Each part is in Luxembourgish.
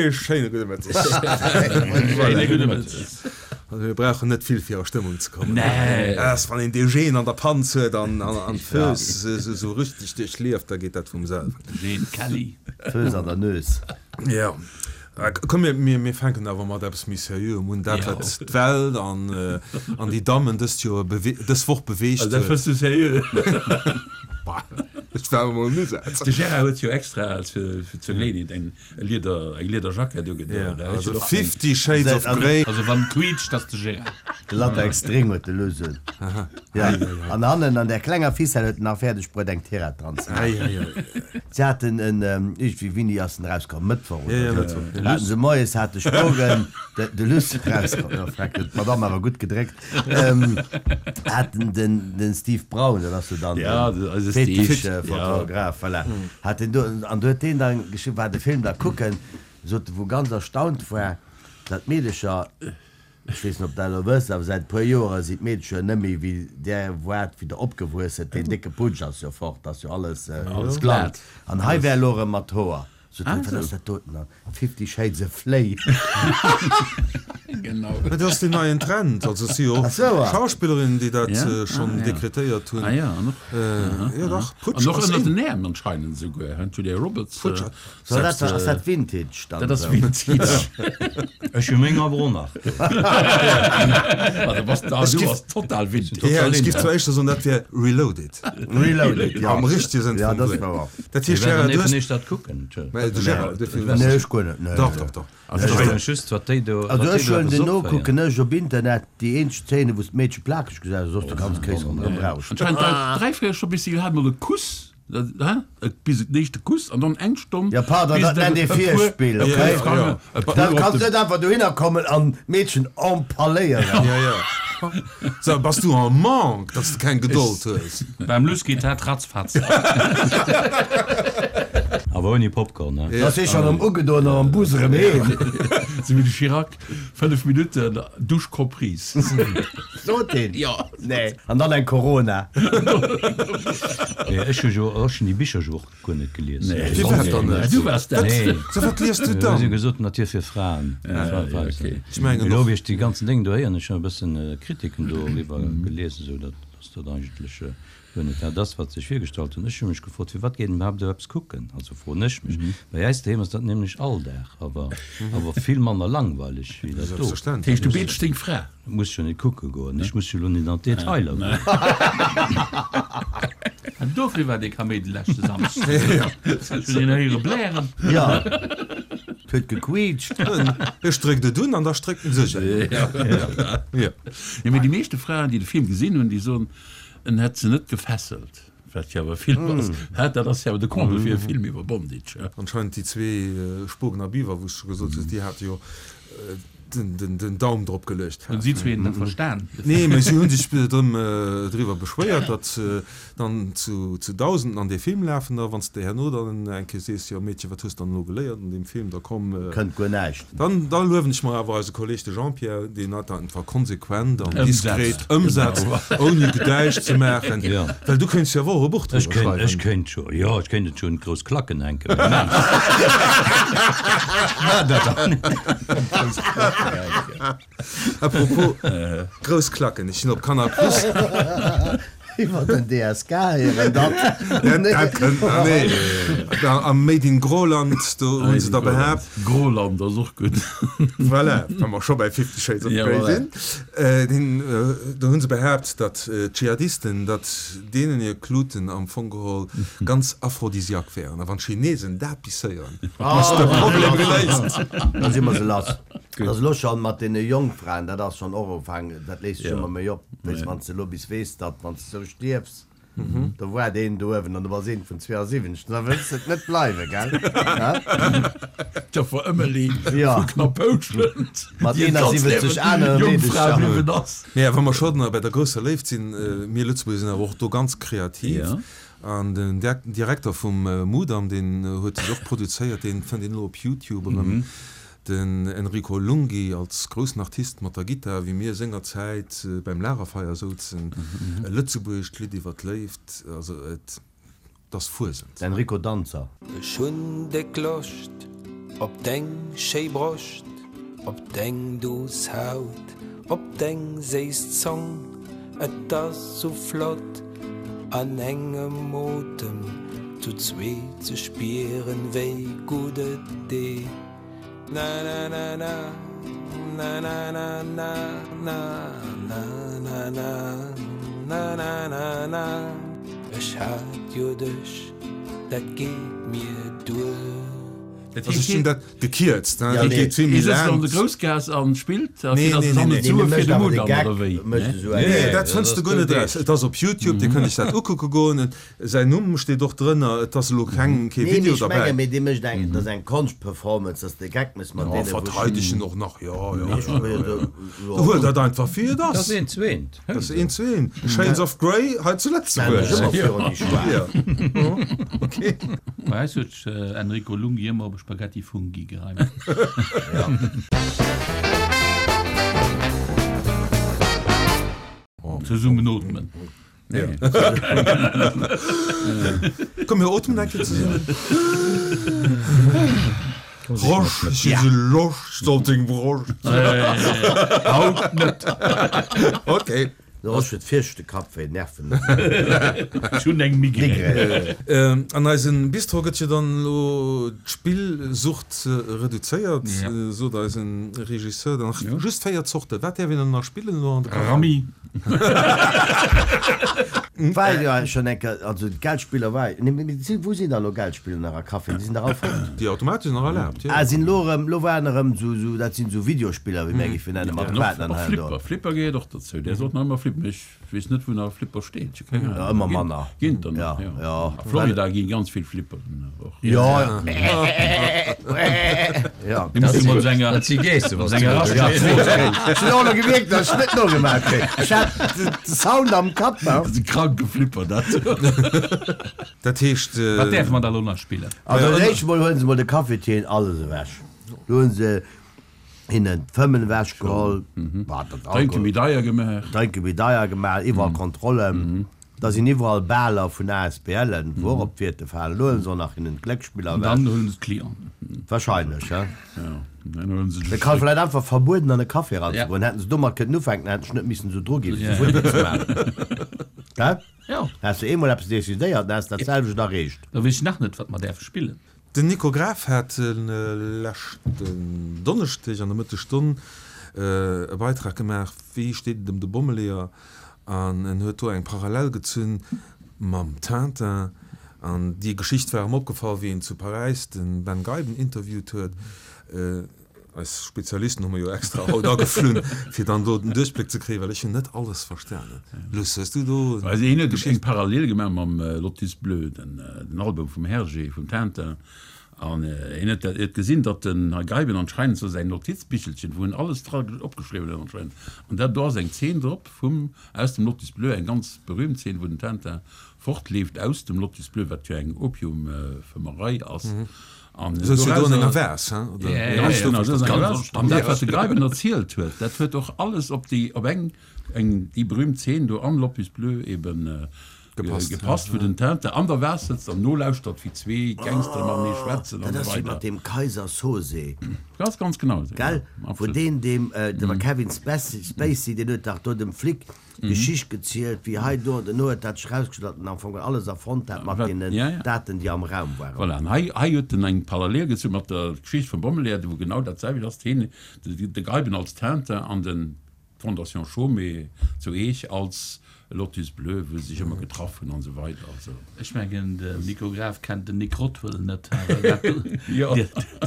Ee schéine gudde Mëtteg. Schéine gudde Mëtteg. Also mir brauchen net vill fir a Stëmmung ze kommen. Nee. Ass wann een de Gene an der Panz huet an an d'Föss esou richteg duerchlieft, da geet dat vum selwen. Gene Kelly. Föss an der Nues. Jo. Komm mir mir fänken awer mat eppes méi Seriöem un, dat wat d'Welt an an déi Dammen dëst Joer dës Woch beweegt huet. Also dat fënns du seriö? Bah, ech war emol en Usaz. De Gérard huet jo extra fir zur Geleeënheet eng Lieder eng Liederjackett ugedoen. Ja, also Fifty Shades of Grey. Also wann quiitscht, ass de Gérard. De Latex-String huet de Luss un. Ja, an hannen an där klenger Ficelle huet en nach fäerdeg bruet eng Tirett dran ze maachen. Si haten en, iergendwéi, wéini ass en erauskomm? Mëttwoch oder esou? Haten se moies, hat de Spogen, de Luss erauskomm, jo freck, huet d'Madame awer gutt gedréckt, haten den, den Steve Braun, dat ass jo dann de Fetisch-Fotograf, voilà, hat deen do, an do huet deen dann geschriwwen, war de Film da kucken, sot e, wou ganz erstaunt war, datt d'Meedecher, Ech weess net, ob Der elo wësst, awer säit e puer Joere sinn d'Meedecher net méi wéi Der waart, wéi Der opgewuess sidd. Deen décke Putsch ass jo fort, ass jo alles blank. An hei wär elo erëm mat Hoer. Sot hien, wat ass dat doten dann? Fifty Shades of Flay. Genau. Mä dat ass deen neien Trend. Also et si jo och Schauspillerinnen, déi dat schonn dekretéiert hunn. Ah jo, an och, jo dach, Putsch an och ass ënner in. den Äerm anscheinend esouguer, hein, d'Julia Roberts. Putsch So, dat ass dat Vintage dann. Dat ass Vintage. Ech hu meng awer och nach do. Ah, du bass, ah, du bass total Vintage. Ja, ech giff zwar éischter soen, dat wär Reloaded. Reloaded, ja. Am richtege Sënn Ja, vum dat ass Wuert. wouer. Dat heescht, Mir Gérard, wäerten du hues. eben dat kucken. Mä de Gérard, de Film. Nee, ech guer net, nee. Dach, dach, dach. Also ech froen mech just, wat déi do, Also wat déi ech do huelen eppes den no, opféieren. kucken ech op Internet déi eenzeg Szene, wou s d'Meedche plakeg gesäis, soss de ganz Kéis ronderëm rauscht. Anscheinend dräi, dräi Fréier scho bis si hat mol e Kuss. Bis den éischte Kuss an dann eng Stonn. Jo pardon, dat nennt ee Virspill, okay? Da kanns net einfach dohinner kommen an d'Meedchen empaléieren. Jo, jo. So, bass du en manque, dass de keng Gedold hues? Beim Luss geet dat ratzfatz. Awer ouni Popcorn, ne? Da si schon am ugedoen an am Bus erëm heem. Sou wéi de Chirac, 5 Minutten, Douche comprise. Sot deen? Jo. Nee. An dann eng Corona. Nee, ech hu jo, ech hunn déi Bicher jo och guer net gelies. Nee, Firwat dann net? Du waars dat. Nee. So wat liest du dann? Si hu gesot, Natur fir Fraen. Ech mengen Elo och. wéi ech déi ganzen Déng do héieren, ech hunn e bëssen Kritiken doriwwer gelies, esou datt, datt dat eigentlech guer net dat ass, wat sech virgestallt hunn. Ech hu mech gefrot, firwat geet een iwwerhaapt esou eppes kucken? Also froen ech mech. Bei äis doheem ass dat nämlech Alldag, awer, awer vill manner langweileg wéi dat do. Selbstverständlech. Dat heescht, du beetsch deng Fra? Muss jo net kucke goen. Ech muss jo elo net an d'Detailer goen. An dofir war dee Kaméidi leschte Samschden. Ech hunn een héiere blären. Jo, et huet gequiitscht. Ech dréckt et un an da stréckt en sech un. Jo, mee déi meeschte Fraen, déi de Film gesinn hunn, déi soen, En hätt se net gefesselt, wat jo awer e Film ass. Hä, dat ass jo awer de Comble fir e Film iwwer Bondage, hä? Anscheinend déi zwee Spogen a Biwer, wou s de scho gesot hues, déi hate jo den Daum drop geluecht. Hunn si zween dat verstan? Nee, mä si hu sech drëm driwwer beschwéiert, datt se dann zu Dausenden an dee Film lafen. A wann s de herno dann eng Kéier sees, jo Meedche, wat hues de dann elo geléiert an deem Film, da komm. Kënnt guer näischt. Dann da luewen ech mer awer eise Kolleg de Jean-Pierre, deen dat einfach konsequent an diskret ëmsetzt, ouni Gedäisch ze maachen, well du kéints jo awer och e Buch driwwer schreiwen. Ech kéint jo, jo, ech kéint et jo un d'grouss Klacken hänken, mä maan dat dann net. A propos grouss Klacken, ech sinn op Canal Plus. Iwwer den DSK héieren dat. Dat kënnt nach, nee. Am Made in Groland, do hu se da behaapt. Groland ass och gutt. Voilà, wa mer scho bei Fifty Shades of Grey sinn. Deen, do hu se behaapt, datt d'Dschihadisten, datt deenen hir Kluten am Fong geholl ganz aphrodisiaque wären. A wann d'Chinesen dat bis héieren, ass de Problem geléist. Da si mer se lass. Dat ass elo schonn mat deene Jongfraen, dat ass schonn och ugefaangen, dat léisst sech ëmmer méi op. Weess, wann s de elo bis weess, datt wann s de sou stierfs, do woart een do uewen an du bass een vun 72, da wëlls de et net bleiwen, gell? D'Joffer Ëmmeli Jo. vu Knappoutschent, Mat déi et ganz 71 Liewen anere Jongfra Meedecher. bliwwen ass. Mä wa mer schonn bei der grousser Léift sinn, mir Lëtzebuerger sinn awer och do ganz kreativ. Jo. An den Direkter vum Mudam, deen huet sech och produzéiert, deen fënnt een elo op Youtube erëm. Den Enrico Lunghi als groussen Artist mat der Gittar, wéi mir sengerzäit beim Lagerfeier souzen, e lëtzebuergescht Lidd iwwer d'Léift, also et ass Fuesent. Enrico Danzer. Ech hunn déck Loscht. Op deng schéi Broscht, op deng duuss Haut, op deng séiss Zong, et ass sou flott an engem Otem zu zweet ze spieren, wéi gutt et deet. Na na na na, na na na na na, na na na, na na na na. Ech hat jo dech, dat geet mir duer. Dat Also heescht, ech hunn dat gekierzt, Ja, dat nee. geet vill méi Hie sëtzt laang. an der Groussgaass an spillt a Nee, fir datt nee, se nee, dann nee. net Sue Nee, fir de mécht awer de Mudam Gag, oder wéi? mécht Ne? esou eng. Nee, Nee, dat dat fënns ass de guer net eraus. doudeg. Et ass op YouTube, Dir kënnt iech dat ukucke goen. Säin Numm steet och drënner. Et ass elo keng, kee Nee, mee Video ech menge derbäi. mee dee mécht eng, dat ass eng Konschtperformance, dass de Geck méchs mat Jo, deene wou verteideg en och nach, jo, jo. Ech jo, jo. Huel dat einfach wéi et Dat ass. ass eent zu eent. Dat ass eent zu eent. Shades of Grey hei zu Stellen ech Lëtzebuerg. ëmmer virun déi Schwaach. Jo, okay. Bei eis huet Enrico Lunghi ëmmer op e Spaghetti Funghi gereimt. Zesummen ootmen. Komm mir ootmen eng Kéier zesummen. Rosch, ech hu sou Loscht op deng Broscht. Haut net. Okay. De Rosch huet viischte Kapp wéi Nerven. Ech hunn eng Migrän. An eisem Bistro gëtt jo dann elo d'Spillsucht reduzéiert, sot eisen Regisseur. Dann nach just 4 Zorte. Wat däerf een dann nach spillen elo an de Café? Rammi. War jo schonn eng Kéier, also d'Geldspiller war, nee mee si, wou sinn da elo Geldspiller nach a Caféen? Déi sinn dach all fort. Déi Automaten sinn nach erlaabt, jo. Ah, sinn elo erëm, elo waren erëm esou, esou, dat sinn esou Videospiller, wéi mär géifen nennen, mat Quaten an Och hei an do. Flipper, Flipper gehéiert och dozou. Där sollt nach ëmmer flippen. Mee ech weess net, wou nach e Flipper steet. Ech hu keng Ahnung. Ja, ëmmer manner. Ginn der nach, jo. Ja. A Florida gi ganz vill Flipperen och. Jo, jo. Dat si Geesse, was du do Ech hunn och elo gemierkt, datt ech net nogemaach kréien. Ech hat de Sound am Kapp. Dat ass e kranke Flipper, dat. Dat heescht. Wat däerfe mer da elo nach spillen? Also dat éischt mol huelen se mol de Cafetier alles ewech. Do hunn se hinnen d'Fëmmen ewech geholl, Drénke méi deier gemaach. Drénke méi deier gemaach, iwwerall Kontrollen. Da sinn iwwerall Baler vun ASBLen, wou och op d'Wierte falen. Elo huelen se och nach hinnen d'Glécksspiller An ewech. dann huelen se d'Clienten. Wahrscheinlech, he? Jo, dann huelen se Et de kann Stréck. vläit einfach verbueden an e Café eranzegoen. Hätten se domat kënnen ufänken, hätten ech net missen esou dru ginn, fir ze futti ze maachen. Gell? Jo. Häss de eemol eppes decidéiert, dann häss de dat selwecht erreecht. Da weess ech nach net, wat mer däerfe spillen. Den Nico Graf hat leschten Donneschdeg an der Mëttesstonn e Beitrag gemaach, Wéi steet et ëm de Bommeleeër? An en huet do eng Parallel gezunn mam Tintin. An déi Geschicht war em opgefall, wéi en zu Paräis de Ben Geiben interviewt huet. Eis Spezialisten hu mer jo extra haut ageflunn, fir dann do den Duerchbléck ze kréien, well ech hunn net alles verstanen. Luss, hues du do. Also hien huet eng Parallel gemaach mam Lotus Bleu, den Album vum Hergé, vum Tintin. An hien huet huet gesinn, datt den Här Geiben anscheinend sou säin Notizbichelchen, wou en alles dra opgeschriwwen huet anscheinend, an dat do ass eng Zeen drop vum, aus dem Lotus Bleu, eng ganz berühmt Zeen, wou den Tintin fortleeft aus dem Lotus Bleu, wat jo eng Opiumfëmmerei ass. An Souz jo do an enger dorausser. Vase, hein, oder? Ja, Ganz ja, genau, souz an enger ganz Vase. An dat, wat de Geiben erzielt huet, dat huet och alles op déi, op eng, eng, déi berühmt Zeen do am Lotus Bleu eben Gepasst, gepasst, wou den Tintin an der Vase sëtzt an nolauschtert, wéi zwee Gangsteren matenee schwätzen Dat an esou ass wéi weider. mat deem Kaiser Soze. Ganz, ganz genau esou, Gell? ja, Wou absolut. deen deem, dem Kevin Spacey, deen huet dach do dem Flic d'Geschicht gezielt, wéi hei do an duerno huet dat sech erausgestallt, datt en am Fong alles erfonnt hat mat Wat, deenen ja, ja. Daten, déi am Raum waren. Voilà, an hei, hei huet en eng Parallel gezu mat der Geschicht vum Bommeleeër, wou genau dat selwecht ass, hien, de Geiben als Tintin an den D'Fondation Chaumet zu Eech als Lotus Bleu, wou se sech ëmmer getraff hunn an esou weider. Also. Ech mengen de Nico Graf kennt den Nick Rothwell net, awer dat do,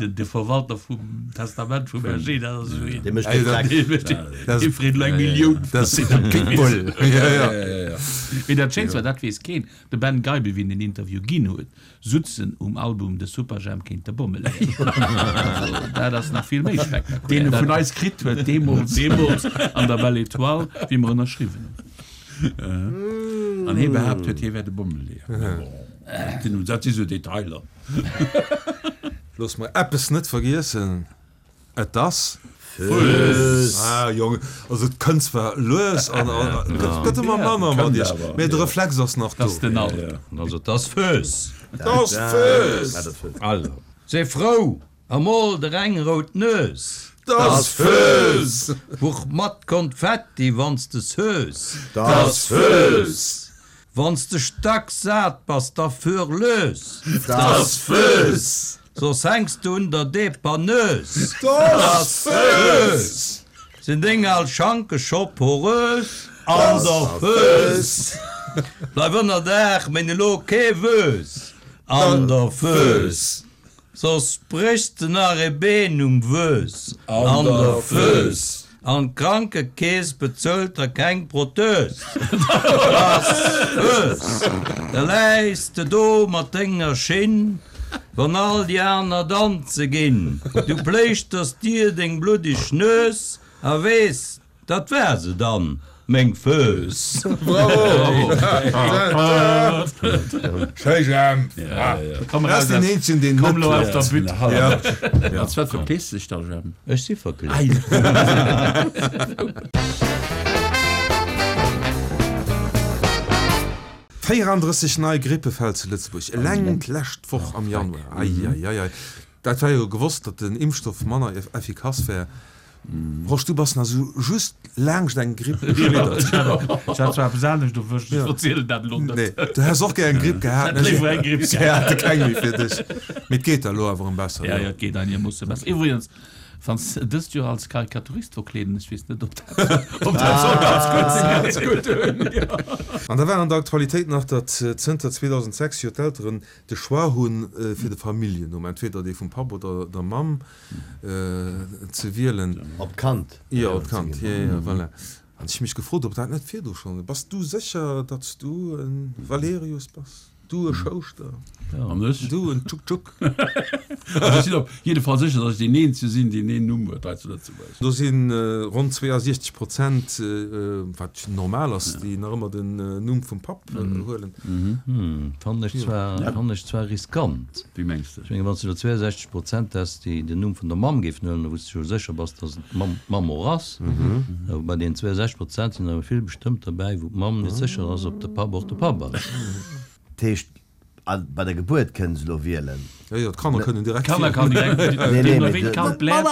de Verwalter vum Testament vum Hergé, dat ass esou een, Dee mécht de Dreck. dee freet elo eng Millioun. Dat ass e Pitbull. Mee dat Schéinst war, dat weess keen, de Ben Geiben, wéi en den Interview ginn huet, Sutzen um Album De Superjhemp géint de Bommeleeër. Also dat ass nach vill méi spektakulär. Deen e vun eis kritt huet deemools. Deemools an der Belle Étoile, wéi mer ënnerschriwwen hunn. An hee behaapt huet, hie wär de Bommeleeër. Mä bon, dat si sou Detailer. Looss mer eppes net vergiessen. Et ass. Fööss! Ah Jong, also et kënnt zwar lues an et gëtt ëmmer manner mat iech, mä de Reflex ass nach do. Ass den Alter. Also et ass Fööss! Et ass Fööss! Also, se frou! A mol der eng rout Nues. 't ass Fööss! Buch mat Konfetti, wann s de s'hues. 't ass Fööss! Wann s de stack sat bass, da führ lös. 't ass Fööss! Soss hänks de un der Depanneuse. 't ass Fööss! Sinn deng al Schanke scho porös? An der Fööss! Bleif ënner Daach, méin elo kee Wös. An der Fööss! Soss bréchs de nach ee Been um Wös an der Fööss an d'Krankekeess bezuelt der keng Prothös. Ass Fööss, da läis de do mat denger Schinn, wann all déi aner danze ginn. Du pléischters dir deng bluddeg Nues a weess, Dat war se dann, meng Fööss! Bravo! Schéi Jemp! Komm eraus den eenzegen deen net klappt. Als wat verklees de dech da Jemp? Ech si verkleet. 34 nei Grippefäll zu Lëtzebuerg eleng d'lescht Woch am Januar. Eieiei. Dat war jo gewosst, datt den Impfstoff manner effikass wär. Rosch, du bass nach sou just laangscht eng Gripp geschliddert. Ech hat zwar eppes anescht erwëscht, ech verzielen dat elo net. Nee, du häss och gär eng Gripp gehat, Ech hätt léiwer eng Gripp gehat. Si hate keng méi fir dech. Mee et geet der elo awer erëm besser, jo? Jo, jo, et geet einegermoosse besser. Iwwregens, wann s de dëst Joer als Karikaturist verkleeden, ech weess net, ob dat, ob dat soll ganz gutt sinn. Ganz gutt hunn, jo. An da war an der Aktualitéit nach, datt zënter 2006 jo d'Elteren de Choix hunn, fir de Familljennumm, entweder dee vum Papp oder der Mamm, ze wielen. Op d'Kand. Jo, op d'Kand, jo, jo, voilà. An ech hu mech gefrot, ob dat net virdu schonn. Bass du sécher, datt s du e Valerius bass? Du e Schouschter? An ech? Du en Tschuk-Tschuk? Also ech sinn op jidde Fall sécher, datt ech deen eenzege sinn, deen deen Numm huet hei zu Lëtzebuerg. Do si ronn 62 Prozent, wat normal ass, déi nach ëmmer den Numm vum Papp huelen. Fannen ech zwar, fannen ech zwar riskant. Wéi mengs de? Ech mengen, wann s de elo 62 Prozent häss, déi den Numm vun der Mamm géifen huelen, wou s de jo sécher bass, datt et d'Mamm, d'Mamm och ass. Awer bei deenen 62 Prozent sinn awer vill bestëmmt derbäi, wou d'Mamm net sécher ass, ob de Papp och de Papp ass. Dat heescht, bei der Gebuert kënnen se elo wielen. Jo, jo, d'Kanner kënnen direkt wielen. D'Kanner kann direkt wielen. Deemno wéi d'Kand bläert.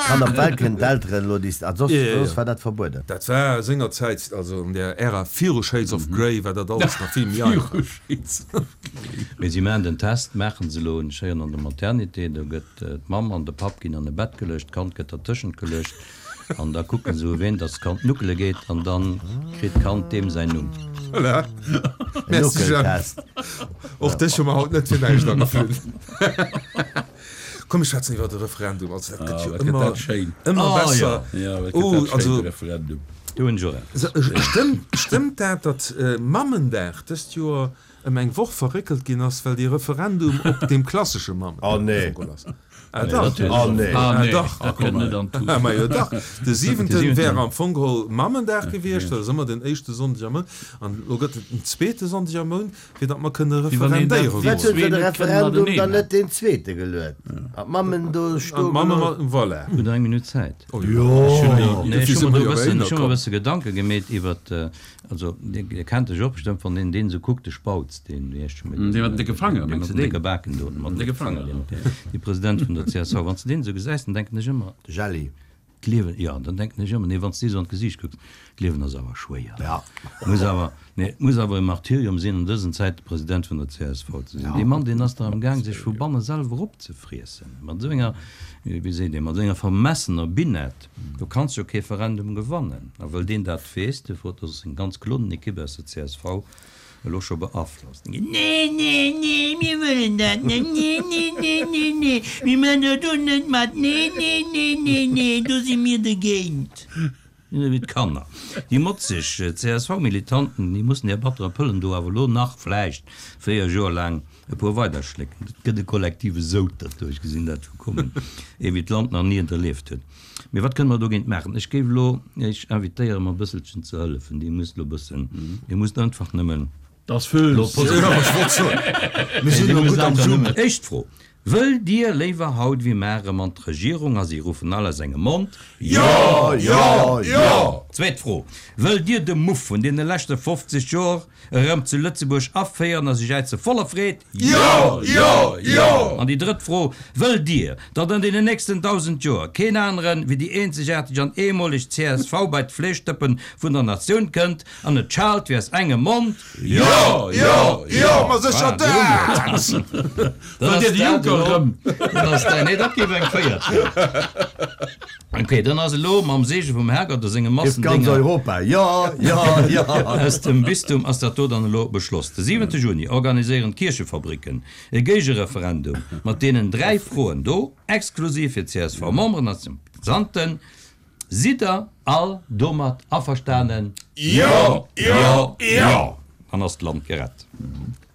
Kann op d'Welt kënnen d'Elteren elo déi, a soss, soss war dat verbueden. Dat war sengerzäit, also an der Ära viru Shades of Grey, war dat alles nach vill méi einfach. Viru Shades of Grey. Mee si maachen den Test, maachen se elo, ech héieren an der Maternité, do gëtt d'Mamm an de Papp ginn an e Bett geluecht, d'Kand gëtt dertëschent geluecht. An da kucken se u ween dass d'Kand nuckele geet an dann kritt d'Kand deem säin Numm. Voilà. Merci Jeff. Och dech hu mer haut net fir näischt ageflunn. Komm mir schwätzen iwwer de Referendum. Also dat gëtt jo ëmmer, ëmmer besser. Oh, also Do hunn ech och eppes. Stëmmt, stëmmt dat, datt Mammendag dëst Joer ëm eng Woch verréckelt ginn ass, well dee Referendum op deem klassesche Mammendag geholl ass? Ah dach, oh nee, ah nee, dach, dat kënnt net an d'Tut. Ma jo dach, de siwenten wär am Fong geholl Mammendag gewiescht, dat ass ëmmer den éischte Sonndeg am Mount, an elo gëtt et den zweete Sonndeg am Mount, fir datt mer kënne referendéiere goen. Firwat huet se de Referendum dann net deen zweete geluet an d'Mammen do stoe gelooss? Voilà. Hutt Der eng Minutt Zäit? Oh jo. Nee, ech hu mer do e bëssen, ech hu mer e bësse Gedanke gemeet iwwert, Also, Dir kennt dech och bestëmmt, wann een deen esou kuckt, de Spautz, deen, wéi heescht scho méi? Dee mat den décke Fanger, mengs de deen? Dee mat den décke Baken do, mat den décke Fanger, deen, dee President vun der csv. Wann s de deen esou gesäis, dann denken ech ëmmer. De Jelli. D'Liewen, jo, dann denken ech ëmmer, nee, wann s de dee esou an d'Gesiicht kucks, d'Liewen ass awer schwéier. Ja. Muss awer, nee, et muss awer e Martyrium sinn, an dësen Zäite President vun der csv ze sinn. Dee Mann, deen ass dach am Gaang, sech vu banne selwer opzefriessen. Mat esou enger, wéi seet een, mat esou enger vermessener Binette. Do kanns jo kee Referendum gewannen. A wëll deen dat weess, duerfir huet och seng ganz Klonenekipp aus der csv elo scho beaflosst. Nee, nee, nee, mir wëllen dat net, nee, nee, nee, nee, nee, mir man do do net mat, nee, nee, nee, nee, nee, do si mir dergéint. Wéi d'Kanner. Déi motzeg CSV-Militanten, déi mussen hir battere Pëllen do awer elo nach vläicht 4 Joer laang E puer weider Schlécken. Et gëtt e kollektive Soud derduerch, gesinn dat vu kommen, ee wéi d'Land nach ni et erlieft huet. Mee wat kënne mer dogéint maachen? Ech géif elo Iech invitéieren, mer e bësselchen ze hëllefen. Dir musst elo e bëssen, Dir musst einfach nëmmen Das Fööss. elo positiv. Mir sinn elo gutt am Zoom. Éischt Fro. Wëllt Dir léiwer haut wéi mar erëm an d'Regierung? A si ruffen all aus engem Mond, Jo! Jo! Jo! Zweet Fro, Wëllt Dir de Muff vun deene leschte 50 Joer erëm zu Lëtzebuerg aféieren? A si jäize voller Freed, Jo! Jo! Jo! An déi drëtt Fro, Wëllt Dir, datt an deenen nächsten 1.000 Joer keen aneren wéi déi eenzegaarteg an eemoleg csv bei d'Fleeschdëppen vun der Natioun kënnt an et schaalt wéi aus engem Mond, Jo, jo, jo, ma sécher dat! Dann ass dat elo, dann ass dat, nee, dat géif eng véiert ginn. Ok, dann ass elo mam Seege vum Herrgott a senge Ganz Massendénger Europa, jo, jo, jo! aus dem Bistum ass dat do dann elo beschloss. De siwente Juni organiséieren d'Kierchefabricken e Géigereferendum mat deenen 3 Froen do, exklusiv fir d'CSV-Memberen a Sympathisanten. Sidd der all domat averstanen? Jo! Jo! Jo! Dann ass d'Land gerett.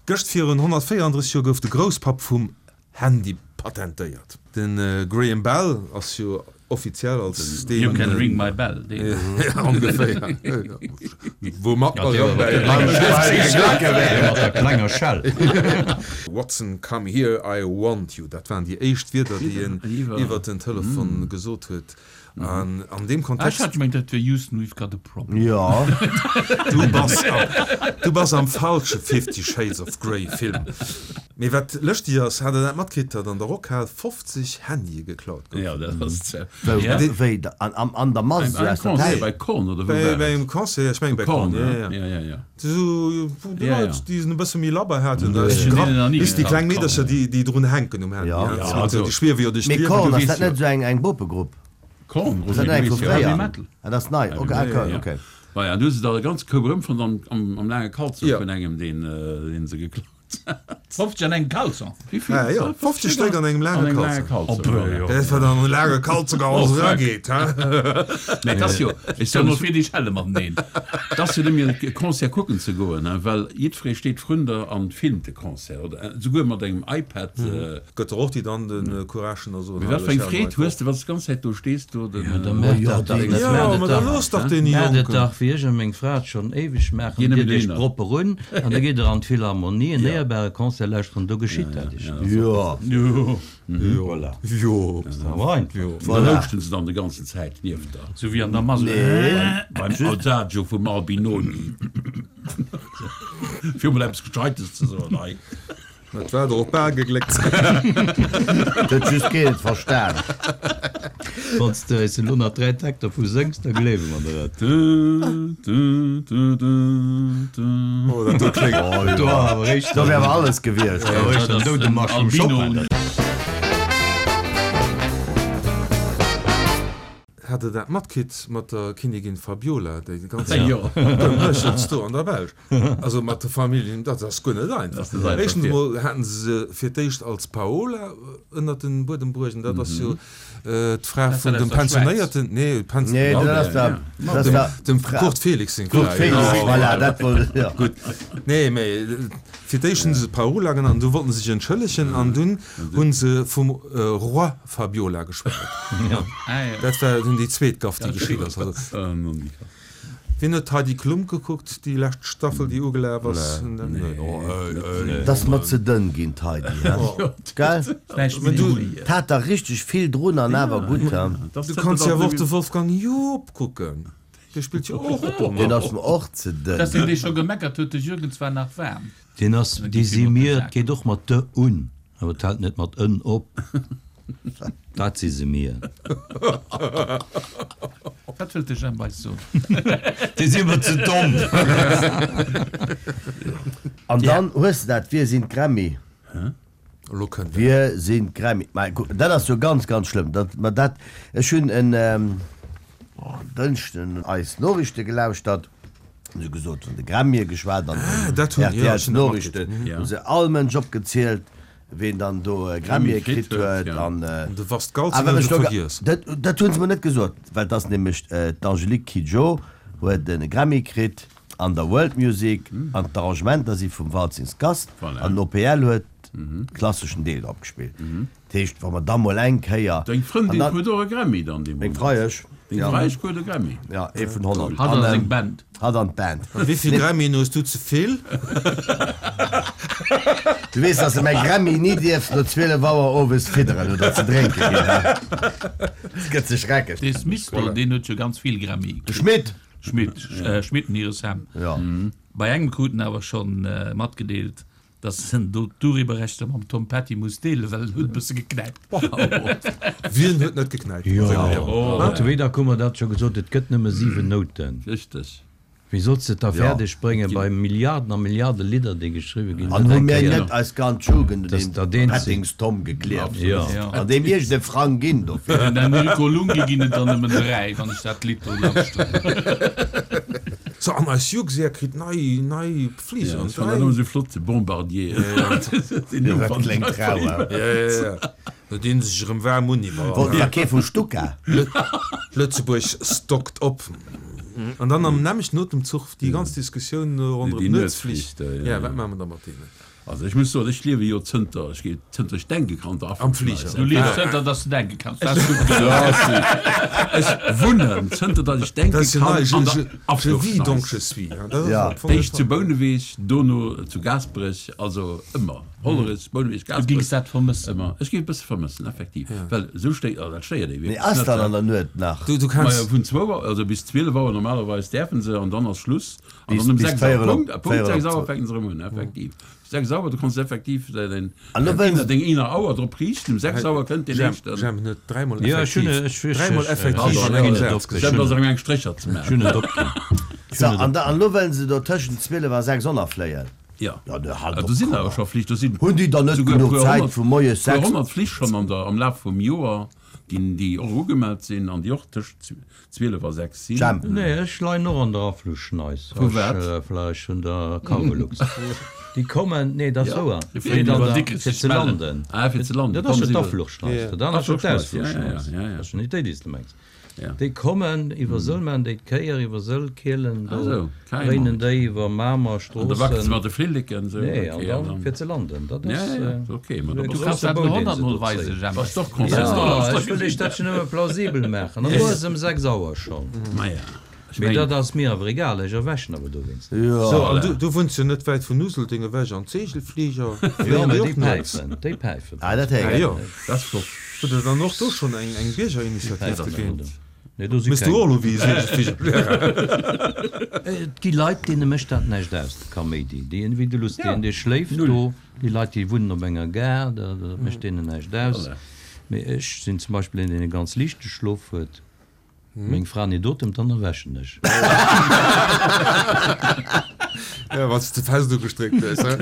Gëscht virun 134 Joer gouf de Grousspapp vum Handy patentéiert. De Graham Bell ass jo offiziell als deen. You can ring my bell, deen. Ongeféier. Woumat mer erëm bäi. Mat der klenger Schell. Watson, come here, I want you. Dat waren déi éischt Wierder, déi en iwwer den Telefon gesot huet. An an deem Ah, ech Kontext. hat gemengt, dat wier Houston, we've got a problem. Jo. Du bass am, du bass am falsche Fifty Shades of Grey Film. Mee wat lëschteg ass, hat der dat matkritt, datt an der Rockhal 50 Handye geklaut goufen? Ja, dat ass ze. Wou, Ja. wéi, an, am, an der Mass, Beim esou aus der Concert Täsch? bei Korn, oder wou Bei, war bei et? engem Concert, ech mengen bei Korn, Korn, ja, ne? ja. Ja, ja, ja. Esou, wou déi Ja, Leit, ja. déi en e bësse méi labber haten, da Ech hunn grapp, deenen nach ni bis déi geklaut, kleng Meedercher, Korn. déi, déi drun hänken um Handy, Ja. ja. Ja, Dat also. déi schwiewe jo duerch Mee d'Liewen. Korn, Du ass weess dat net jo. esou eng, eng Bopegrupp? Korn, Ass dat net eng vu Roger, du weess jo. Heavy fréier? Metal. Ah, dat ass nei, ok, ah, Ja, ja. ok. Voilà, an du hues se da e ganze Koup erëmfonnt am, am, am laange Kalzong Ja. vun engem, deen, deen se geklaut hat. 50 an engem Kalzong? Wéi vill? Ah, jo, 50 Stéck an engem An laange engem laange Kalzong. Kalzong, voilà. Dat wat an e laange Kalzong alles Oh, fuck. erageet, he? Mee et ass jo, ech Stell soen, mol vir, déi schelle mateneen. Et ass jo net méi e Concert kucken ze goen, he, well jiddweree steet vrun der an filmt de Concert oder esouguer mat engem iPad. Gëtt der och déi dann de Courage an da soen, Mee wat fir eng Freed hues de, wann s de d'ganz Zäit do stees do den. Jo, da maacht dat dach net. Jo, ma da looss dach deene Maacht et Jonken. dach, wéi ech a meng Fra et schonn éiweg maachen, Ginn Ditt nëmmen iech dohinner. propper un an da gitt der an d'Philharmonie en éierbare Concert lauschteren, do geschitt dat iech net. Jo. Jo. Voilà. Jo. Ass dach awer einfach. Jo. Da Voilà. houschten se dann de ganzen Zäit nieft der. Sou wéi an der Mass. Nee. Beim Adagio vum Albinoni. Fir emol eppes Gescheites ze soen hei. Et war der och bal gegléckt. Et huet just keen et verstan. Wann s de eis elo nach 3 Takter vu sëngs, da gleewe mer der et. Oh, dat do kléngt. Do awer réischt. Do wär awer alles gewiescht. Da réischt den Doudemarsch vum Chopin. Hat der dat matkritt mat der Kinnigin Fabiola, déi ganz Gemëschels do an der Belsch? Also mat de Familljen, dat ass guer net einfach. Éischtens emol haten se se fir d'éischt als Paola ënnert den Buedem bruecht, an dat ass jo d'Fra vun dem pensionéierten, nee, dem Kurt Felix seng Fra. Kurt Felix, voilà, dat wollt ech, jo. Gutt, nee, mä fir d'éischt hunn se se Paola genannt, an du wollten se sech entschëllegen, an dunn hu se vum Roi Fabiola geschwat. Dat war dunn déi zweet Gaff, déi geschitt ass. Wien huet d'Heidi Klum gekuckt, déi lescht Staffel, déi ugelaf ass? Et ass mer ze dënn ginn, d'Heidi, he? Gell? Et hat der richteg vill drun an awer gutt, he? Du kanns jo awer och de Wolfgang Joop kucken, dee spillt jo och do mat. Deen ass mer och ze dënn. Dass deen dee scho gemeckert huet, de Jürgen zwar nach waarm. Deen ass, déi si mir, et geet och mat de un. Awer et hält net mat en op. Dat si se mir. Wat wëllt de Jemp eis soen? Déi si mer ze domm. An dann hues de dat, Wir sind Grammy. Elo kënnt et. Wir sind Grammy. Mä kuck, dat ass jo ganz, ganz schlëmm. Dat, mä dat, ech hunn en Dënschden eis Noriichte gelauschtert. Hu se gesot, vun de Grammye geschwat an Ah, den dat hunn, jo, ech hunn dat matkritt. RTL-Noriichten hu se all Mënsch opgezielt, ween dann do e Grammye kritt huet. An An de Wast Galzin awer hunn ech se do, vergiess. dat, dat hu se mer net gesot, well et ass nämlech d'Angélique Kidjo huet e Grammy kritt an der World Music an d'Arrangementer si vum Waltzings Gast Voilà. an den OPL huet klasseschen Deel drop gespillt. Dat heescht, wa mer da mol eng Kéier. Deng Frëndin an dann- huet och e Grammy dann Meng deemools. Freiesch. Deng Freiesch krut e Grammy. Ja, ee vun 100. Hatt a seng Band. Hatt an d'Band. A wéi vill Grammyen hues du ze vill? Du weess, dass de mäi Grammy ni dierfs no 12 Auer owes fidderen oder ze drénke ginn, he? Et gëtt ze schreckeg. Dee Smith do, deen huet jo ganz vill Grammye De kritt. Schmit! Schmit, Schmit an hire Sam. Ja. Bei engem krut en awer schonn matgedeelt, Dass en do d'Urheberrechter mam Tom Petty muss deelen, well en huet e bësse geknäipt. Wien huet net geknäipt? Jo, wéi da hu mer dat scho gesot, et gëtt nëmme 7 Nouten. Richteg. Wéi solls de et da fäerdeg bréngen, bei Milliarden a Milliarde Lidder, déi geschriwwe ginn, An dat hu eng mir Kéier, net eis ganz Jugend un dass deen der deen ze. Pettings Tom geklieft? Jo. An deem iergend e Frang ginn dofir? Den Enrico Lunghi ginn et der nëmmen 3, wann ech dat Lidd do lauschteren. So, an eis Jugsär kritt nei, nei. Fliger an dräi. Dat esou flott, de Bombardier. Dat kléngt rau, he? Ja, ja, ja. Do dinn se sech erëm waarm un iwwerall. Wollt der kee vu Stuka? Lëtzebuerg stockt op. An dann am nämmlechten Otemzuch déi ganz Diskussioun ronderëm d'Nuetsflich. Ja, wat maache mer da mat deenen? Also ech muss soen, ech liewe jo zënter ech geet, zënter ech denke kann, der Am Fliger. Du liefs zënter dass du denke kanns, dat ass gutt gesot. Ech wunnen zënter datt ech denke Dat ass jo kann nei, an der je, je vis Afluchschneis. donc je suis, hein, dat ass Ja. am Fong net Éischt zu Bouneweg, dono zu Gaasperech, also ëmmer Hollerech, Bouneweg, Du gings Gaasperech, dat vermëssen. ëmmer. Ech géif e bësse vermëssen, effektiv, well esou stéiert, also dat stéiert ee Mee wierklech ass net. dann an der Nuet nach? Du, du Majo, kenns. vun zwou Auer, also bis 12 Auer normalerweis däerfe se an dann ass Schluss. An Bis, dann um bis 6 Auer, véierel op, Punkt, Punkt véierel 6 op Auer fänken se erëm un, effektiv. 6 Auer, du kanns effektiv däin, An lo däin wëllen inner, deng inner Auer drop riichten, um 6 Auer kënnt deen Jemp, éischten. Jemp huet dräimol Jo, ech hunn, effektiv, ech, ech, dräimol ech, effektiv ech an hunn engem et Saz opginn. Jemp gesot. ass erëm eng Strécher ze Ech maachen. hunn et opginn. So, an da, an lo wëllen se do tëschent 12 a 6 onerfléien. Ja, Ja, ne, halt do op, sinn komm awer scho Flich, do sinn Hunn déi dann net souguer genuch puer Zäit honnert, vu moies puer 6? honnert Flich schonn an der, am Laf vum Joer, déi, déi och ugemellt sinn an déi och tëscht 12 a 6 sinn. Jemp. Nee, ech leien och an der Afluchschneis. Vu wat? Ech vläicht vun der Cargolux. Déi kommen, nee, dat ass wouer, Déi fléien an iwwer der, Dikrech fir sech ze mellen. landen. Ah, fir ze landen. Dat ass jo Kommen se iwwer. d'Afluchschneis. Dat aner ass jo Afluchschneis, ja, ja, d'Ausfluchschneis. ja, ja. Dat ass jo net déi, déi s de mengs. Ja. Déi kommen iwwer Sëll, maachen déi d'Kéier iwwer Sëll, Kielen, Ah, do sou, carrément. dréinen déi iwwer Mamer, An da wackelt se Stroossen. mat de Flilleken, sou, Nee, an okay, an dann dann. fir ze landen. Dat Ja, ass ja, ja, okay, ma esou da e bass Du kanns grouse dat Bou, elo deen se honnertmol do weisen, zéien. Jemp. Bass doch konsistent. Ja, ech wëll iech dat jo nëmme plausibel maachen. An do ass ëm 6 Auer schonn. Maja, ech Mee mengen. dat ass mir awer egal, ech erwächen awer dowéinst. So, an du, du wunns jo net wäit vun Useldeng ewech an d'Seegelfliger Jo, fléien mä déi déi och nuets. päifen, déi päifen. Ah, dat héier Ah ech. jo. Dat ass flott. Hutt der dann och do schonn eng, eng Déi Biergerinitiativ päifen dogéint? do. Nee, do si Méchs du keng. och elo wéi e Seegelfliger? Et gi Leit, deene mécht dat näischt aus, de Kaméidi. Déi, wéi de Luss, deen, dee schléift Null. do. Déi Leit, déi wunnen op enger Gare, dat, dat mécht deenen näischt aus. Voilà. Mee ech sinn zum Beispill een, deen e ganz liichte Schlof huet. Meng Fra nit otemt, dann erwächen ech. Ja, wann s de fest ugestréckt hues, he?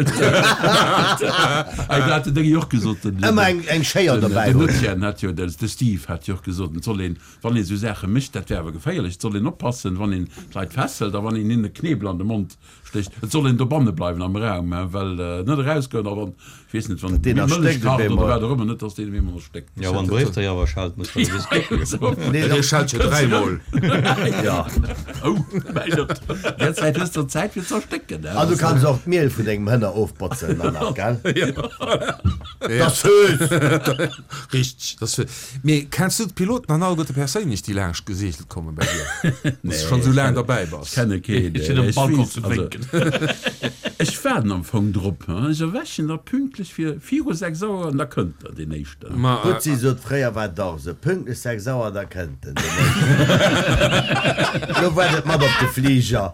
Ei, dat hat den Déngi och gesot, den, Ëmmer eng, eng Schéier den, dobäi den hunn. Etienne hat jo, de Steve hat jo och gesot, et soll een, wann ee sou Saache mécht, dat wär awer geféierlech, et soll een oppassen, wann een d'Leit fesselt a wann een hinnen e Knebel an de Mond Stécht. Et soll een dobanne bleiwen am Raum, hein, well net erausgoen a wann, ech weess net, wann Deen Mëllech erstéckt op kacht oder eemol. wat och ëmmer, net dass deen op eemol erstéckt. Jo, wann Bréifdréier awer schellt, muss der gewiss kucken. Nee, Dee schellt jo dräimol. Ja. Oh, mäi Gott, där Zäit hues de Zäit fir ze erstécken, hein. An du kanns och d'Miel vun dengem Hënner ofbotzen dann nach, gell? Dat ass süß! Richteg, dat ass fir. Mee kenns du d'Piloten an alleguerte perséinlech, déi laanscht geseegelt kommen bei dir? Dass du schonn esou laang derbäi bass? Ech kenne keen. Ech sinn um Ech Balcon weess, ze also, wénken. ech waarden am Fong drop, hein. Ech erwächen da pünktlech fir viru 6 Auer an da kënnt der, deen éischten. Ma Butzi sot, fréier war et och esou, pünktlech 6 Auer, da kënnt en, deen éischten. Lo waart et mat op de Fliger.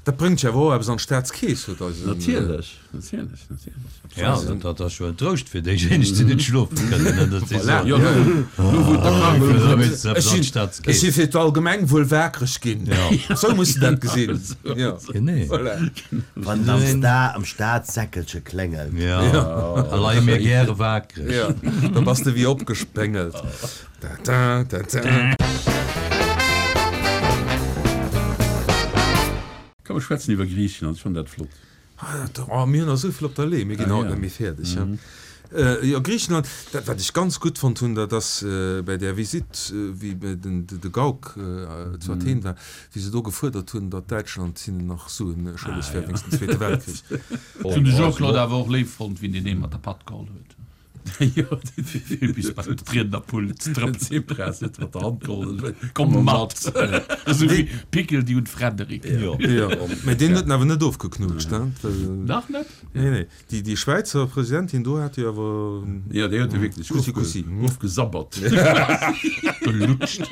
Dat bréngt jo awer och eppes an d'Staatskeess, huet eisen. Natierlech, natierlech, natierlech. Ja, dat ass jo en Trouscht fir déijéineg, déi net schlofe kënnen, datt si soen, Jo, lo wou d'Erkrankung Ech si fir d'Allgemengwuel waakreg ginn. Esou muss de dat gesinn. Genee. Voilà. Wann et am Sta am Staatssäckelche kléngelt. Ja, da leie mir gäre waakreg. Ja, da bass de wéi opgespéngelt. Da, da, da, da. Komm, mir schwätzen iwwer Griichenland, ech fannen dat flott. Oh, mir hunn nach esou vill op der Lee, mir ginn haut net méi fäerdeg. Jo, Griichenland, dat wat ech ganz gutt fonnt hunn, dat ass bäi där Visitt, wéi den de Gauck zu Athen war, wéi se do gefuerdert hunn, datt Däitschland hinnen nach Suen schëlleg wär wéinst dem Zweete Weltkrich. Ech hunn de Jean-Claude awer och léif fonnt, wéi en deen ee mat der Patt geholl huet. Jo, Fir bis bei d'Riednerpult ze trëppelen. Tsipras huet mat der Hand geholl, Komm mat! Esou wéi Pickel déi un Frederik. Jo, mä deen huet en awer net ofgeknutscht, hein? Nach net? Nee, nee. Déi, déi Schwäizer Presidentin do hat jo awer. Jo, déi huet e wierklech Kussi, kussi. ofgesabbert. Gelutscht.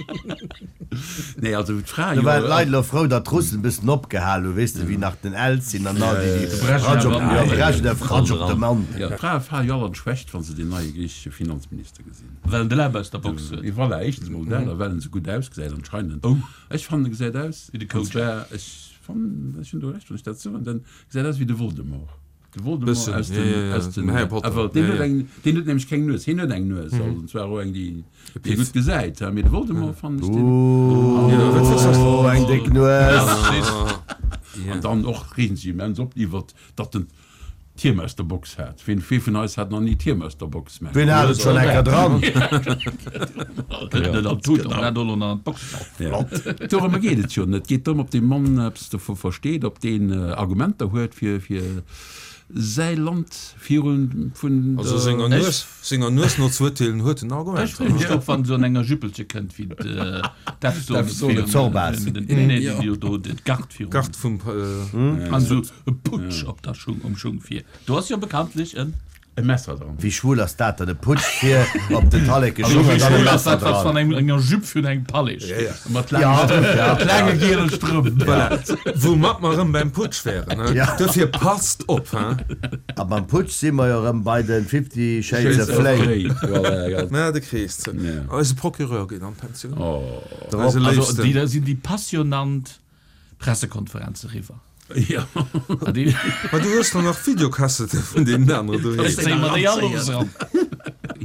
Nee, also d'Fra Do jo. waren d'Leit elo frou, datt d'Russen e bëssen opgehal hunn, weess de, wéi nach den Elzin an all déi, déi De Brezhnev an jo, Brezhnev, Ratsch op de Mann. Jo, d'Frae fale jo all an d'Schwächt, wa se deen neie griichesche Finanzminister gesinn. Well en de Läb aus der Box huet. Voilà, éischtens mol dat, a well en esou gutt ausgesäit anscheinend. Ech fannen, e gesäit aus, Wéi de an Coach. zwar, ech fannen, ech hunn do Recht, wann ech dat soen, den gesäit aus wéi de Voldemort. De Voldemort Bëssen, aus ja, den, ja, ja, aus den dem Harry Potter. Awer deen Ja, huet ja. eng, deen huet nämlech keng Nues. Hien huet eng Nues, also an zwar och eng, déi, déi Piff. gutt gesäit, mee de Voldemort fannen ech deen. Ja, wat wëlls du? Oh, eng déck Nues. An dann och reegen sech immens op iwwert, datt en d'Hiem aus der Box hat. Ween, wee vun eis hat nach ni d'Hiem aus der Box? Mä Ween hat et schonn eng Kéier dran? Net an d'Tut, an dat och nach an d'Box. Ja. Dorëmmer geet et jo net. Et geet drëm, ob dee Mann eppes dovu versteet, ob deen Argumenter huet, fir, fir säi Land virun vun Also senger der. Nues, senger Nues no ze urteelen, huet en Ech Argumenter. freeë mech drop, wann se an enger Jüppelche kënnt, wéi d'Evzone De Zorbas. Nee, déi jo do d'Gard virun. Gard vum. An esou e Putsch op der Schung, um Schung vir. Do ass jo bekanntlech en. E Messer dran. Wéi schwul ass dat dann? E Putsch vir op den Talleke Also Schung wéi an dann e schwul ass Messer dat, wat dran. wann eng enger Jupe virun engem Palais steet? Mat laange giele Strëmp. Voilà, woumat mer erëm beim Putsch wären. Ja. Dofir passt op, hein! A beim Putsch si mer jo erëm bei de Fifty Shades of Flay. Voilà. Mä de Krees zou. Eise Procureur geet an d'Pensioun. Eise Also Léifsten. déi da sinn déi passionant Pressekonferenz eriwwer. Jo. Ma du hues der nach Videokassette vun deenen anere doheem. Zéie mer déi all ons eran.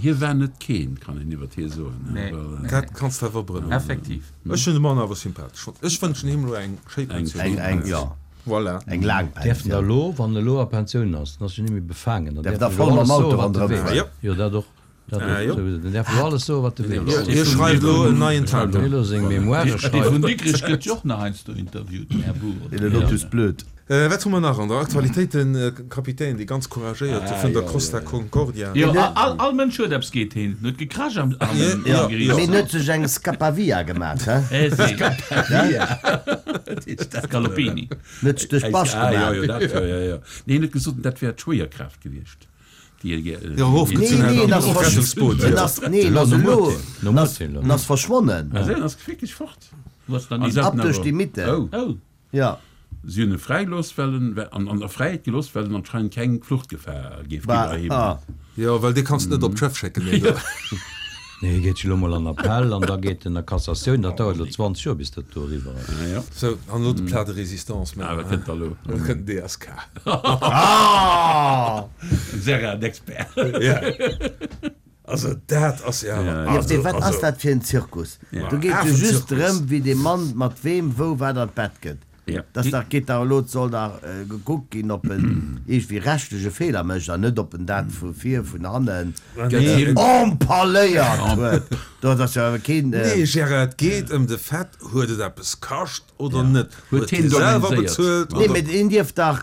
Hie war net keen, kann een iwwert hie soen. Nee. Dat kanns de awer brëllen. Effektiv. Ech hunn de Mann awer sympathesch fonnt. Ech wënschen him elo eng schéi Pensioun. Eng, eng, jo. Voilà. Eng laang Däerf en da Pensioun. elo, wann en elo a Pensioun ass, dann ass en net méi befaangen, dann Däerf däerf da en voll elo mam alles Auto soen, wat e ronderëm wéilt. fueren. Jo, dat och. Dat Ah, jo. Den däerf elo alles soen, wat e wéilt. Hie schreift elo en neien Tintin. Elo seng Memoire Dee schreift. vun Dikrech gëtt jo och nach heiansdo interviewt, den Här Bour. Den Lotus Blöd. Wat hu mer nach an der Aktualitéit? De Kapitän, dee ganz couragéierte vun der Costa Concordia. Jo, all Mënsch huet eppes géint heen. En huet gekrasch am Jo, Geriicht. Mee en huet sech eng Scapavia gemaat, he? Scaloppini. En huet sech duerch d'Bascht Ah, jo, gemaat. jo, dat, jo, jo, jo. Nee, en huet gesot, dat wär d'Schwéierkraaft gewiescht. Jo, erofgezunn Nee, nee, en ass Rettungsboot. en ass, nee, en ass elo, en ass, en ass verschwonnen. Ah, en ass wierklech fort. Ab duerch déi Mitte. Oh. Ja. Si hunn e fräigelooss, well en, an, an der Fräiheet gelooss, well en anscheinend keng Fluchtgefahr géif ginn heiheem. Ah. Jo, well dee kanns de net op d'Schëff schécken, deen do. Nee, hie geet jo elo mol an Appell an da geet en a Cassatioun. Dat dauert elo 20 Joer, bis dat do eriwwer ass. Ah, ja. Sou, an elo de Plat de résistance, Ah, wat kënnt da elo? Elo kënnt den DSK. Ah! Serra, d'Expert. Ja. Also dat ass jo awer. Jo, mee wat ass dat fir en Zirkus? Do geet jo just drëm, wéi dee Mann mat weem wou wat an d'Bett gëtt. Dass dach geet dach elo, et soll dach gekuckt ginn, ob en iergendwéi rechtlech e Feeler mécht an net, ob en dat vu vir, vun hannen empaléiert huet. Dat ass jo awer keen. Nee, Gérard, et geet ëm de Fait, huet et eppes kascht oder net? Huet hie hien selwer organiséiert? bezuelt Nee, oder? mee een dierf dach,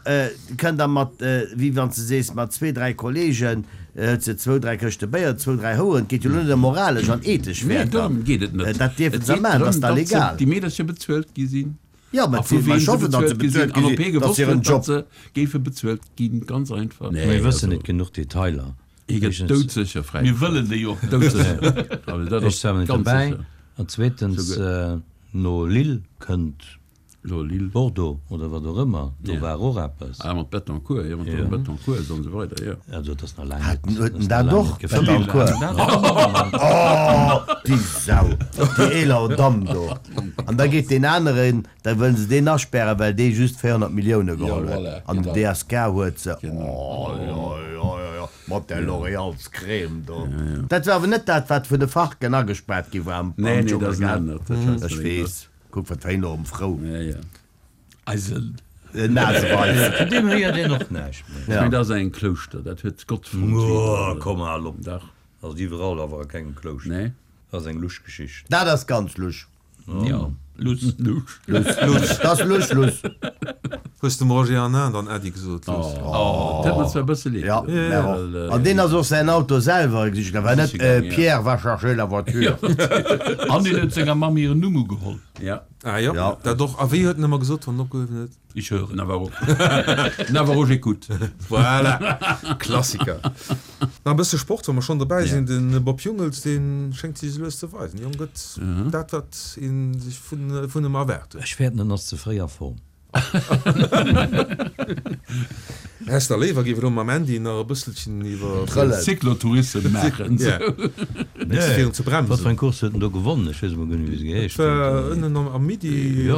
kënnt da mat, wéi wann s de sees, mat zwee, dräi Kollegen, huet se zwou, dräi Këschte Béier, zwou, dräi Houeren. Et geet jo elo net ëm moralesch an ethesch Nee, Wäerter. dorëm geet et net. Dat dierfe Et se geet maachen, dat drëm, ass da datt se, legal. déi Meedercher bezuelt gi sinn. Jo, mä A vu ech weem se hoffen, datt se bezuelt gi sinn bezuelt an gi ob hie sinn, dat ass gewosst hiren huet, Job. datt se géife bezuelt ginn, ganz einfach. Mir wëssen net genuch Detailer. Hie gëtt doudsécher Mir fräigesprach. wëllen déi och net. Doudsécher. Also dat Ech ass war net ganz dobäi. sécher. An zweetens, no Lille kënnt Lo Lille. Bordeaux oder wat och ëmmer, do war och eppes. Ah, mat Bettencourt, jo, mat dem Bettencourt an esou weider, jo. Also et ass nach laang Hat net, huet ass en nach dat laang och, net gefëllt. Bettencourt? Oh, déi Sau, déi eeler Damm do. An da geet deen aneren, da wëllen se deen aspären, well dee just 400 Millioune geholl huet. An den DSK huet se, oh, jo, jo, jo, jo, mat där L'Oréalscrème do. Dat war awer net dat, wat vun de Farken agespaart gi war am Nee, nee, dat Dschungel, ass en gell? anert, dat schwätzt Ech mer weess. Kuck wat wéi enorm frou. Ja, ja. Eisen. Naseweis. Vun deem héiert een och näischt méi. Ech mengen, dat ass eng Klouschter, dat huet Gott fonnt. Oh, komm hal op. Dach. Ass iwwerall, awer a kengem Klouschter. Nee. Dat ass eng lusch Geschicht. Dat ass ganz lusch. Jo, luss. Lusch. Luss. Dat ass lusch, luss. Hues dem Roger Hanin dann Äddi gesot, Luss? Oh, dat huet mer zwar e bësse leed gedoen. Ja, mär och. An deen ass och säin Auto selwer gesiche gaangen, war net Pierre va chercher la voiture. An deen huet senger Mamm hiren Numm ugeholl. Ja. Ah jo, dat och. A wéi huet en ëmmer gesot, wann en opgehuewen huet? Ich höre. Navarro. Navarro, j'écoute. Voilà, Klassiker. Nach e bësse Sport, wa mer schonn dobäi sinn. De Bob Jungels, dee schéngt sech lues ze weisen. De Jong gëtt dat, wat ee sech vun em erwaart huet. Ech fäerten, en ass ze fréi a Form. Häss der léiwer géif elo mam Andy nach e bësselchen iwwer Trëllen. Cyclotourissem maachen. Nee, fir en ze bremsen. Wat fir eng Course huet en do gewonnen? Ech weess emol guer net wéi se geheescht huet. Et war ënnen am Midi, e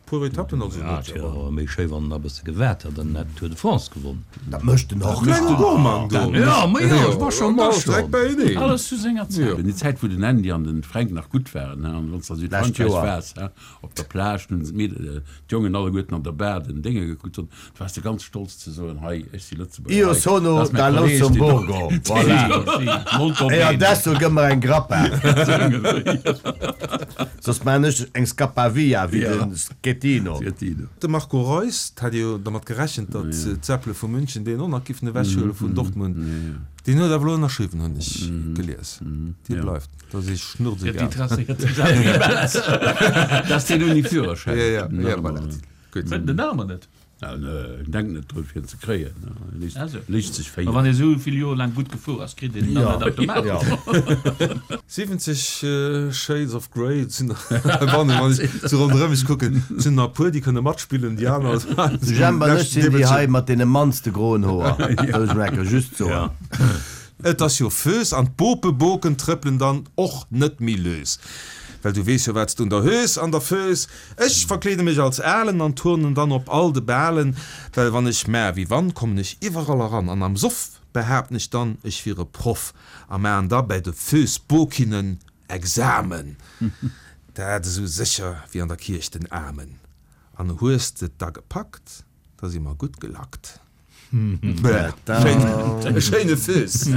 puer Etappen, also net. Et wier awer méi schéi wann en nach e bësse gewaart hätt an hätt d'Tour de France gewonnen. Dat mécht en och. Klenge Gourmand do. Jo, ma jo, ech war schonn, war schonn. Direkt beieneen. Alles zu senger Zäit. Déi Zäit wou den Andy an den Fränk nach gutt waren, an wann s de a Südfrankräich waars, Op der Plage, hunn se d'Meedel, d'Jongen alleguerten an der Bar den Dénge gekuckt hunn, du waars de ganz stolz ze soen, hei, ech si Lëtzebuerger, Io hei, sono dat ass mäi da Kolleg, deen do. Lussemburgo, voilà. Molto E bene. adesso gëmm mer eng Grappa. Soss maan ech eng Scappavia wéi de Schettino. De Marco Reus, 't hat ee jo dermat gerechent, datt d'Säppele vu München deen och nach giffen ewechhuele vun Dortmund. Deen huet awer elo ënnerschriwwen, hunn ech gelies. Dee bleift. Dat ass ee schnurzegal. Dat ass deen ouni Führerschäin. Ja, ja, ja, voilà. Gutt. Huet en den awer net? Denkt net drun, fir en ze kréien. Léisst sech féieren. Ma wann ee sou vill Joer laang gutt gefuer ass, kritt een en dann net automatesch? 70 Shades of Grey, et sinn der, wann ech sou ronderëm mech kucken, et sinn der e puer, déi kënne matspillen, déi aner. De Jemp an ech sinn déi hei mat deene mannste groen Hoer, wëll ech mol enker just soen. Et ass jo Föös an d'Bopeboken trëppelen dann och net méi lös. Well du weess jo wat s du un der hues an der Föös. Ech verkleede mech als Alen an turnen dann op all de Balen, well wann ech mä wéi wann, kommen ech iwwerall eran an am Soff behaapten ech dann, ech wier e Proff a maan da bäi de Föösbokinnen Examen. Dat esou sécher wéi an der Kierch den Amen. An hues de et da gepackt, da si mer gutt gelackt. E schéine Föös.